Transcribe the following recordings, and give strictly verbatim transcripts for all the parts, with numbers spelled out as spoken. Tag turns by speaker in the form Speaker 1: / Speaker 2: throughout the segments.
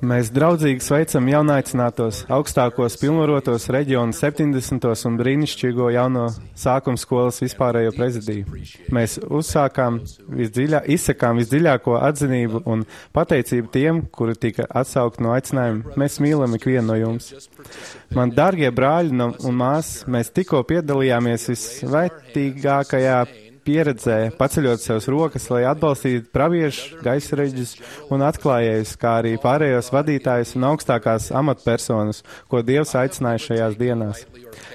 Speaker 1: Mēs draudzīgi sveicam jaunaicinātos, augstākos pilnvarotos reģionu septiņdesmitos un brīnišķīgo jauno sākuma skolas vispārējo prezidiju. Mēs uzsākām visdziļā, izsakām visdziļāko atzinību un pateicību tiem, kuri tika atsaukt no aicinājuma. Mēs mīlam ikvienu no jums. Man dārgie brāļi no, un māsas, mēs tikko piedalījāmies visvērtīgākajā pieredzē, paceļot savas rokas, lai atbalstītu praviešu, gaisreģus un atklājējus, kā arī pārējos vadītājus un augstākās amatpersonas, ko Dievs aicināja šajās dienās.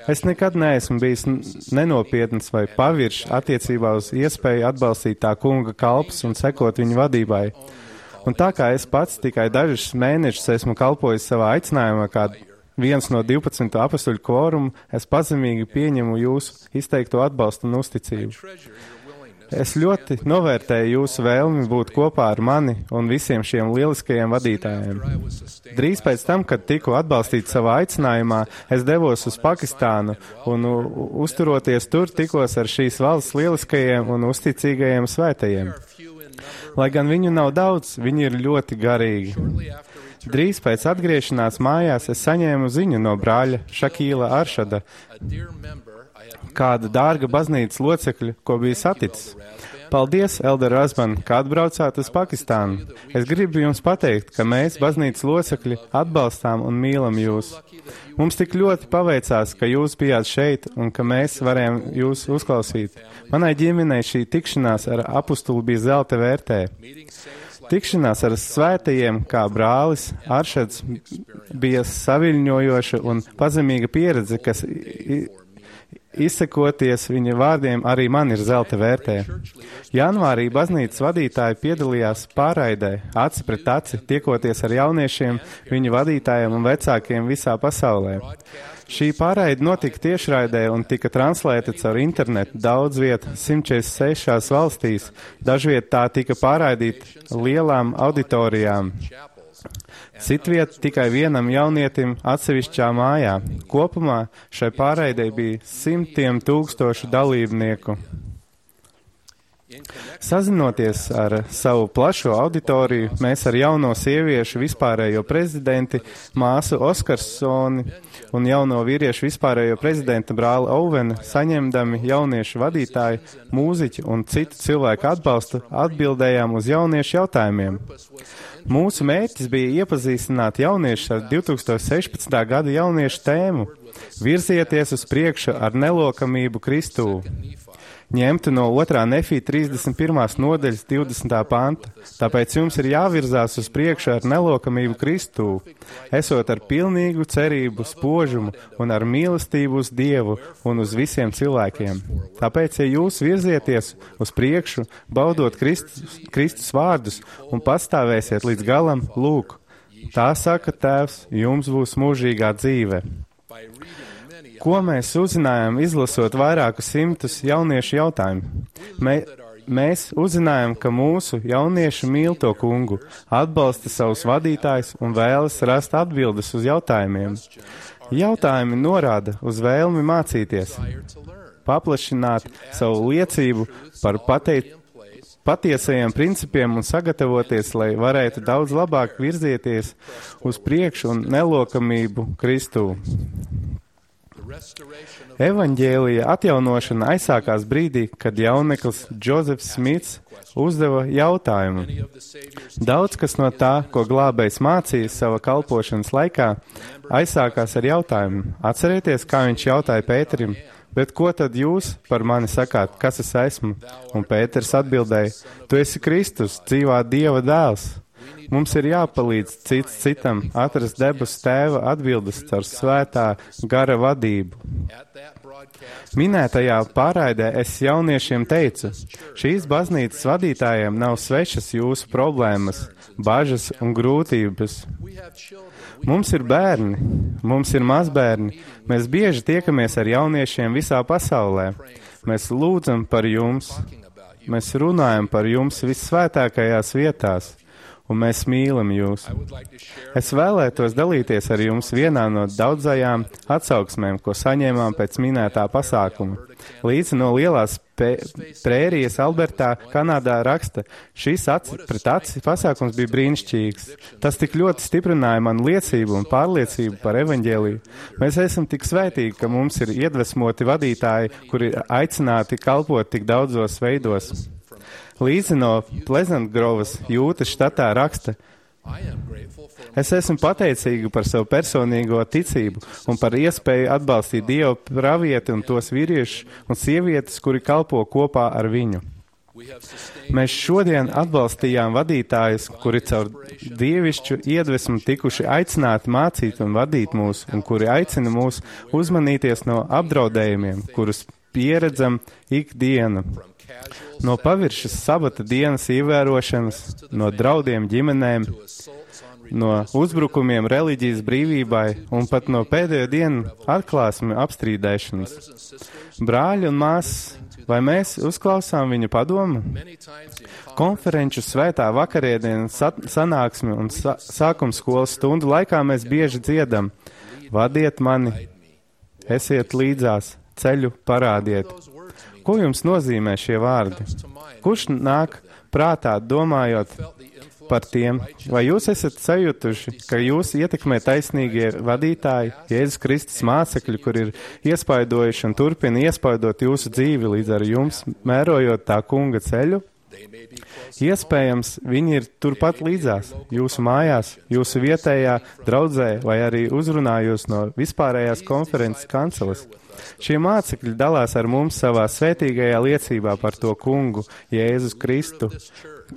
Speaker 1: Es nekad neesmu bijis nenopietns vai paviršs attiecībā uz iespēju atbalstīt tā kunga kalpus un sekot viņu vadībai. Un tā kā es pats tikai dažus mēnešus esmu kalpojis savā aicinājumā, kā viens no divpadsmit apostuļu kvorumu, es pazemīgi pieņemu jūsu izteikto atbalstu un uzticību. Es ļoti novērtēju jūsu vēlmi būt kopā ar mani un visiem šiem lieliskajiem vadītājiem. Drīz pēc tam, kad tiku atbalstīts savā aicinājumā, es devos uz Pakistānu un uzturoties tur tikos ar šīs valsts lieliskajiem un uzticīgajiem svētajiem. Lai gan viņu nav daudz, viņi ir ļoti garīgi. Drīz pēc atgriešanās mājās es saņēmu ziņu no brāļa Šakīla Aršada, kāda dārga baznīcas locekļa, ko bija saticis. Paldies, Elder Razban, kā atbraucāt uz Pakistānu. Es gribu jums pateikt, ka mēs, baznīcas locekļi, atbalstām un mīlam jūs. Mums tik ļoti paveicās, ka jūs bijāt šeit un ka mēs varējām jūs uzklausīt. Manai ģimenei šī tikšanās ar apustuli bija zelta vērtē. Tikšanās ar svētajiem, kā brālis Aršads, bija saviļņojoša un pazemīga pieredze, kas izsekoties viņa vārdiem arī man ir zelta vērtē. Janvārī baznīcas vadītāji piedalījās pārraidē, aci pret aci, tiekoties ar jauniešiem, viņu vadītājiem un vecākiem visā pasaulē. Šī pārraide notika tiešraidē un tika translēta caur internetu daudz viet simt četrdesmit sešās valstīs. Dažviet tā tika pārraidīta lielām auditorijām. Citviet tikai vienam jaunietim atsevišķā mājā. Kopumā šai pārraidei bija simtiem tūkstošu dalībnieku. Sazinoties ar savu plašo auditoriju, mēs ar jauno sieviešu vispārējo prezidenti māsu Oskarsoni un jauno vīriešu vispārējo prezidenta brāli Ovenu saņemdami jauniešu vadītāju, mūziķu un citu cilvēku atbalstu atbildējām uz jauniešu jautājumiem. Mūsu mērķis bija iepazīstināt jauniešus ar divtūkstoš sešpadsmitā gada jauniešu tēmu – virzieties uz priekšu ar nelokamību Kristū. Ņemtu no otrā Nefī trīsdesmit pirmās nodaļas divdesmitā panta, tāpēc jums ir jāvirzās uz priekšu ar nelokamību Kristū, esot ar pilnīgu cerību, spožumu un ar mīlestību uz Dievu un uz visiem cilvēkiem. Tāpēc, ja jūs virzieties uz priekšu, baudot Kristus, Kristus vārdus un pastāvēsiet līdz galam, lūk, tā saka Tēvs, jums būs mūžīgā dzīve. Ko mēs uzzinājām, izlasot vairākus simtus jauniešu jautājumu? Mē, mēs uzzinājām, ka mūsu jaunieši mīl to kungu, atbalsta savus vadītājus un vēlas rast atbildes uz jautājumiem. Jautājumi norāda uz vēlmi mācīties, paplašināt savu liecību par pateikt, patiesajiem principiem un sagatavoties, lai varētu daudz labāk virzieties uz priekšu un nelokamību Kristū. Evaņģēlija atjaunošana aizsākās brīdī, kad jauneklis Džozefs Smits uzdeva jautājumu. Daudz kas no tā, ko glābējs mācīja sava kalpošanas laikā, aizsākās ar jautājumu. Atcerieties, kā viņš jautāja Pēterim, bet ko tad jūs par mani sakāt, kas es esmu? Un Pēters atbildēja, tu esi Kristus, dzīvā Dieva dēls. Mums ir jāpalīdz cits citam atrast debesu Tēva atbildes caur svētā gara vadību. Minētajā pārraidē es jauniešiem teicu, šīs baznīcas vadītājiem nav svešas jūsu problēmas, bažas un grūtības. Mums ir bērni, mums ir mazbērni, mēs bieži tiekamies ar jauniešiem visā pasaulē. Mēs lūdzam par jums, mēs runājam par jums vissvētākajās vietās. un mēs mīlam jūs. Es vēlētos dalīties ar jums vienā no daudzajām atsauksmēm, ko saņēmām pēc minētā pasākuma. Līdzi no lielās prērijas Albertā, Kanādā raksta, šīs aci pret aci pasākums bija brīnišķīgs. Tas tik ļoti stiprināja manu liecību un pārliecību par evaņģēliju. Mēs esam tik svētīgi, ka mums ir iedvesmoti vadītāji, kuri ir aicināti kalpot tik daudzos veidos. Līdzi no Pleasant Grovas, Jūtas štatā raksta, es esmu pateicīga par savu personīgo ticību un par iespēju atbalstīt Dievu pravieti un tos vīriešus un sievietes, kuri kalpo kopā ar viņu. Mēs šodien atbalstījām vadītājus, kuri caur dievišķu iedvesmu tikuši aicināti mācīt un vadīt mūs, un kuri aicina mūs uzmanīties no apdraudējumiem, kurus pieredzam ikdienu. No paviršas sabata dienas ievērošanas, no draudiem ģimenēm, no uzbrukumiem reliģijas brīvībai un pat no pēdējo dienu atklāsmi apstrīdēšanas. Brāļi un māsas, vai mēs uzklausām viņu padomu? Konferenču svētā vakariedienas sanāksmi un sa sākums skolas stundu laikā mēs bieži dziedam: vadiet mani, esiet līdzās, ceļu parādiet. Ko jums nozīmē šie vārdi? Kurš nāk prātā domājot par tiem? Vai jūs esat sajutuši, ka jūs ietekmē taisnīgie vadītāji, Jēzus Kristus mācekļi, kur ir iespaidojuši un turpina iespaidot jūsu dzīvi līdz ar jums, mērojot tā kunga ceļu? Iespējams, viņi ir turpat līdzās, jūsu mājās, jūsu vietējā draudzē vai arī uzrunājos no vispārējās konferences kanceles. Šie mācekļi dalās ar mums savā svētīgajā liecībā par to kungu, Jēzus Kristu.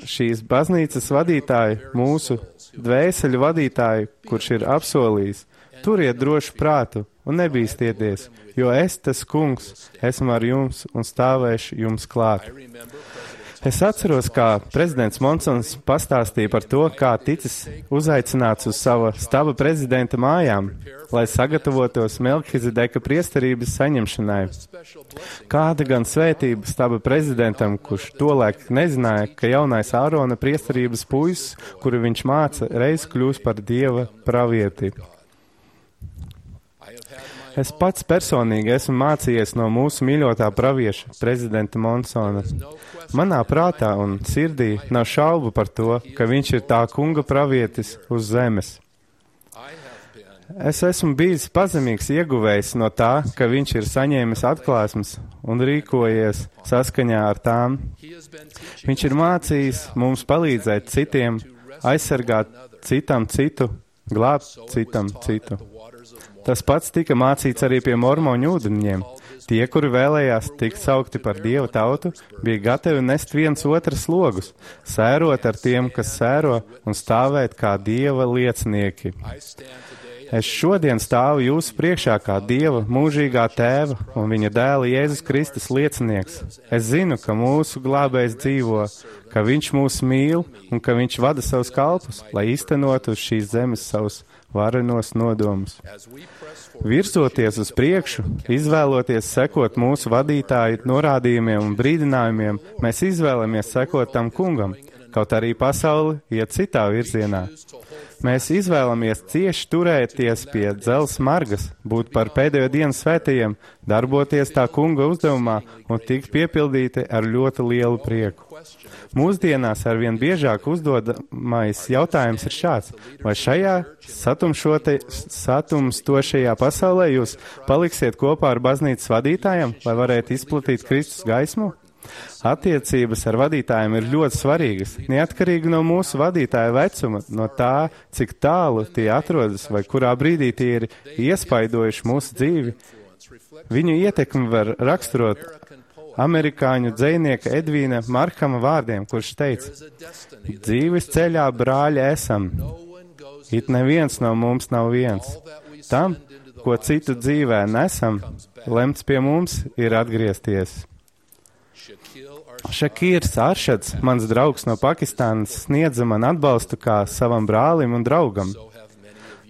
Speaker 1: Šīs baznīcas vadītāji, mūsu dvēseļu vadītāji, kurš ir apsolījis, turiet drošu prātu un nebīstieties, jo es, tas kungs, esmu ar jums un stāvēšu jums klāt. Es atceros, kā prezidents Monsons pastāstīja par to, kā ticis uzaicināts uz sava staba prezidenta mājām, lai sagatavotos Melkizedeka priesterības saņemšanai. Kāda gan svētība staba prezidentam, kurš tolaik nezināja, ka jaunais Ārona priesterības puisis, kuru viņš māca, reiz kļūs par Dieva pravieti. Es pats personīgi esmu mācījies no mūsu mīļotā pravieša, prezidenta Monsona. Manā prātā un sirdī nav šaubu par to, ka viņš ir tā kunga pravietis uz zemes. Es esmu bijis pazemīgs ieguvējs no tā, ka viņš ir saņēmis atklāsmes un rīkojies saskaņā ar tām. Viņš ir mācījis mums palīdzēt citiem, aizsargāt citam citu, glābt citam citu. Tas pats tika mācīts arī pie mormoņu ūdeņiem. Tie, kuri vēlējās tikt saukti par Dieva tautu, bija gatavi nest viens otras slogus, sērot ar tiem, kas sēro, un stāvēt kā Dieva liecinieki. Es šodien stāvu jūsu priekšā kā Dieva mūžīgā tēva un viņa dēla Jēzus Kristus liecinieks. Es zinu, ka mūsu glābējs dzīvo, ka viņš mūs mīl un ka viņš vada savus kalpus, lai īstenotu uz šīs zemes savus varenos nodomus. Virzoties uz priekšu, izvēloties sekot mūsu vadītāju norādījumiem un brīdinājumiem, mēs izvēlamies sekot tam kungam, kaut arī pasauli iet citā virzienā. Mēs izvēlamies cieši turēties pie dzelzs margas, būt par pēdējo dienu svētajiem, darboties tā kunga uzdevumā un tikt piepildīti ar ļoti lielu prieku. Mūsdienās arvien biežāk uzdodamais jautājums ir šāds: vai šajā satumstošajā pasaulē jūs paliksiet kopā ar baznīcas vadītājiem, lai varētu izplatīt Kristus gaismu? Attiecības ar vadītājiem ir ļoti svarīgas, neatkarīgi no mūsu vadītāja vecuma, no tā, cik tālu tie atrodas vai kurā brīdī tie ir iespaidojuši mūsu dzīvi. Viņu ietekmi var raksturot amerikāņu dzejnieka Edvīna Markama vārdiem, kurš teica: dzīves ceļā, brāļi, esam. It neviens no mums nav viens. Tam, ko citu dzīvē nesam, lemts pie mums ir atgriezties. Šakīrs Aršads, mans draugs no Pakistānas, sniedza man atbalstu kā savam brālim un draugam.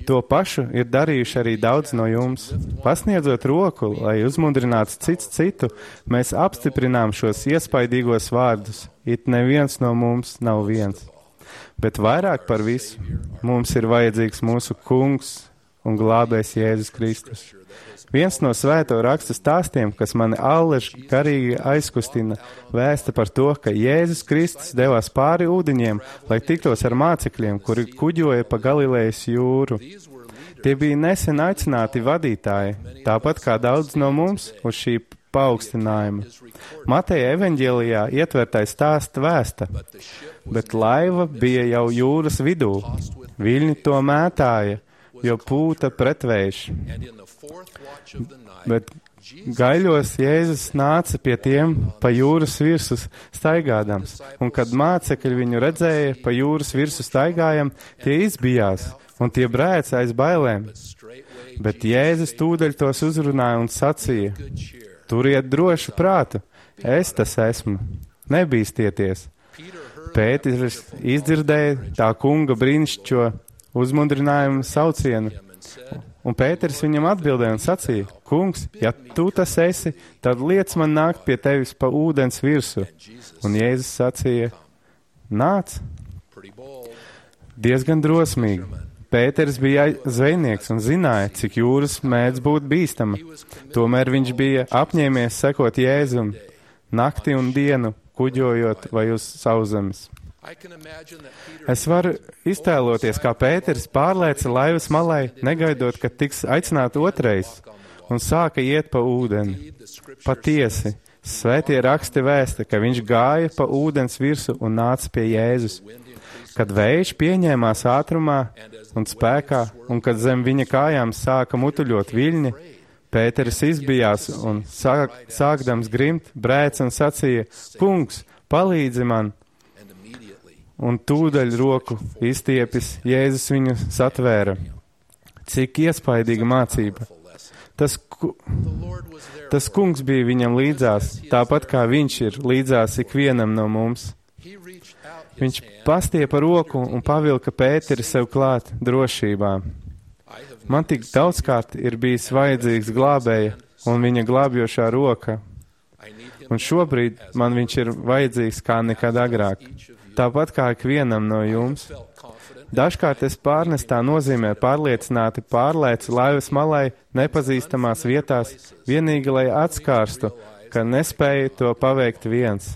Speaker 1: To pašu ir darījuši arī daudz no jums. Pasniedzot roku, lai uzmundrinātu cits citu, mēs apstiprinām šos iespaidīgos vārdus: it neviens no mums nav viens. Bet vairāk par visu mums ir vajadzīgs mūsu kungs un glābējs Jēzus Kristus. Viens no svēto rakstu stāstiem, kas mani allaž garīgi aizkustina, vēsta par to, ka Jēzus Kristus devās pāri ūdeņiem, lai tiktos ar mācekļiem, kuri kuģoja pa Galilejas jūru. Tie bija nesen aicināti vadītāji, tāpat kā daudz no mums uz šī paaugstinājuma. Mateja evaņģēlijā ietvertais stāsts vēsta, bet laiva bija jau jūras vidū. Viļņi to mētāja, jo pūta pretvējš. Bet gaiļos Jēzus nāca pie tiem pa jūras virsu staigādams, un kad mācekļi viņu redzēja pa jūras virsu staigājam, tie izbijās, un tie brēca aiz bailēm. Bet Jēzus tūdaļ tos uzrunāja un sacīja, turiet drošu prātu, es tas esmu, nebīstieties. Pēters izdzirdēja tā kunga brīnišķo uzmundrinājumu saucienu, un Pēters viņam atbildēja un sacīja, kungs, ja tu tas esi, tad liec man nākt pie tevis pa ūdens virsu. Un Jēzus sacīja, nāc. Diezgan drosmīgi. Pēters bija zvejnieks un zināja, cik jūras mēdz būt bīstama. Tomēr viņš bija apņēmies sekot Jēzum nakti un dienu, kuģojot vai uz sauszemes. Es varu iztēloties, kā Pēters pārlēca laivas malai, negaidot, ka tiks aicināt otrais, un sāka iet pa ūdeni. Patiesi, svētie raksti vēsta, ka viņš gāja pa ūdens virsu un nāca pie Jēzus. Kad vējš pieņēmās ātrumā un spēkā, un kad zem viņa kājām sāka mutuļot viļņi, Pēteris izbijās un sāk, sākdams grimt, brēc un sacīja, kungs, palīdzi man! Un tūdaļ roku izstiepis, Jēzus viņu satvēra. Cik iespaidīga mācība! Tas, ku, tas kungs bija viņam līdzās, tāpat kā viņš ir līdzās ikvienam no mums. Viņš pastiepa roku un pavilka Pēteri sev klāt drošībā. Man tik daudzkārt ir bijis vajadzīgs glābēja un viņa glābjošā roka. Un šobrīd man viņš ir vajadzīgs kā nekad agrāk. Tāpat kā ikvienam no jums. Dažkārt es pārnestā nozīmē pārliecināti pārlēcu laivas malai nepazīstamās vietās, vienīgi lai atskārstu, ka nespēju to paveikt viens.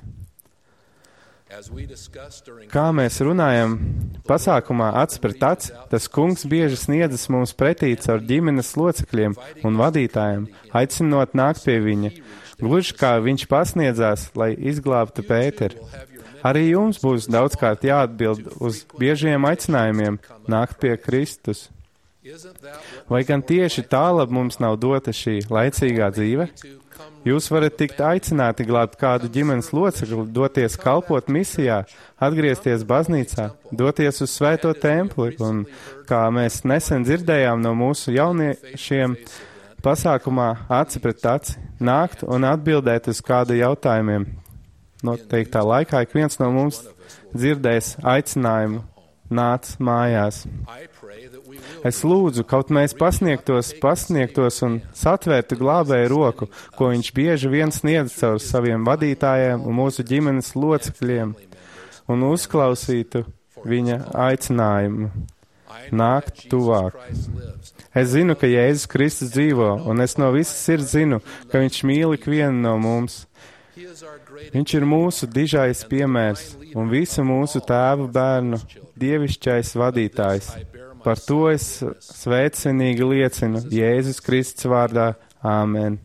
Speaker 1: Kā mēs runājam pasākumā acs pret aci, tas kungs bieži sniedzas mums pretī caur ģimenes locekļiem un vadītājiem, aicinot nākt pie viņa, gluži kā viņš pasniedzās, lai izglābtu Pēteri. Arī jums būs daudzkārt jāatbild uz biežiem aicinājumiem nākt pie Kristus. Vai gan tieši tālāk mums nav dota šī laicīgā dzīve? Jūs varat tikt aicināti glābt kādu ģimenes locekli, doties kalpot misijā, atgriezties baznīcā, doties uz svēto templi, un, kā mēs nesen dzirdējām no mūsu jauniešiem, pasākumā aci pret aci, nākt un atbildēt uz kādu jautājumiem. Noteiktā laikā ik viens no mums dzirdēs aicinājumu nāc mājās. Es lūdzu, kaut mēs pasniegtos, pasniegtos un satvērtu glābēju roku, ko viņš bieži vien sniedz caur saviem vadītājiem un mūsu ģimenes locekļiem, un uzklausītu viņa aicinājumu nākt tuvāk. Es zinu, ka Jēzus Kristus dzīvo, un es no visas sirds zinu, ka viņš mīl ikvienu no mums. Viņš ir mūsu dižais piemērs un visu mūsu tēvu bērnu dievišķais vadītājs. Par to es sveicinīgi liecinu Jēzus Kristus vārdā. Āmen.